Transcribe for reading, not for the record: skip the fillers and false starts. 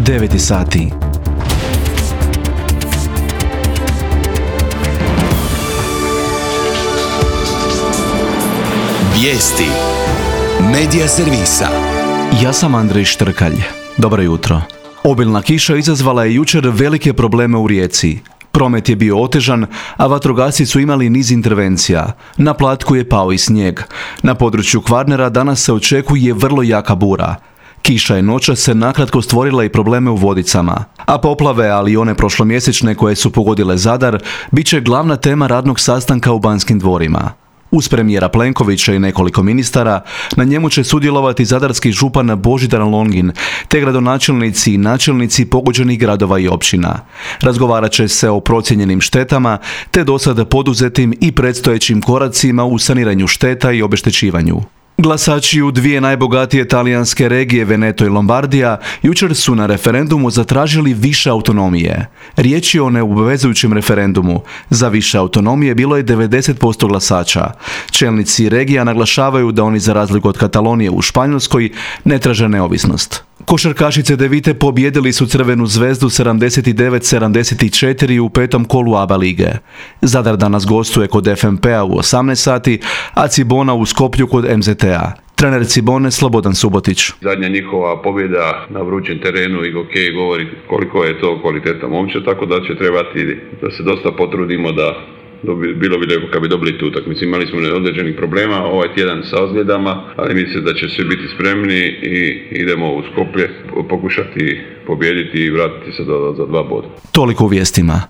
9 sati. Vijesti Medija servisa. Ja sam Andrej Štrkalj. Dobro jutro. Obilna kiša izazvala je jučer velike probleme u Rijeci. Promet je bio otežan, a vatrogasci su imali niz intervencija. Na Platku je pao i snijeg. Na području Kvarnera danas se očekuje vrlo jaka bura. Kiša je noćas se nakratko stvorila i probleme u Vodicama. A poplave, ali i one prošlomjesečne koje su pogodile Zadar, bit će glavna tema radnog sastanka u Banskim dvorima. Uz premijera Plenkovića i nekoliko ministara, na njemu će sudjelovati zadarski župan Božidar Longin, te gradonačelnici i načelnici pogođenih gradova i općina. Razgovarat će se o procijenjenim štetama, te dosada poduzetim i predstojećim koracima u saniranju šteta i obeštećivanju. Glasači u dvije najbogatije talijanske regije, Veneto i Lombardija, jučer su na referendumu zatražili više autonomije. Riječ je o neobvezujućem referendumu. Za više autonomije bilo je 90% glasača. Čelnici regija naglašavaju da oni, za razliku od Katalonije u Španjolskoj, ne traže neovisnost. Košarkašice Devite pobijedili su Crvenu zvezdu 79-74 u petom kolu ABA lige. Zadar danas gostuje kod FNP-a u 18 sati, a Cibona u Skoplju kod MZT-a. Trener Cibone Slobodan Subotić. Zadnja njihova pobjeda na vrućem terenu i hokej govori koliko je to kvaliteta momčad, tako da će trebati da se dosta potrudimo da bilo bi lijepo kad bi dobili tu utakmicu. Imali smo određenih problema ovaj tjedan sa ozljedama, ali mislim da će svi biti spremni i idemo u Skoplje pokušati pobijediti i vratiti se za 2 boda. Toliko u vijestima.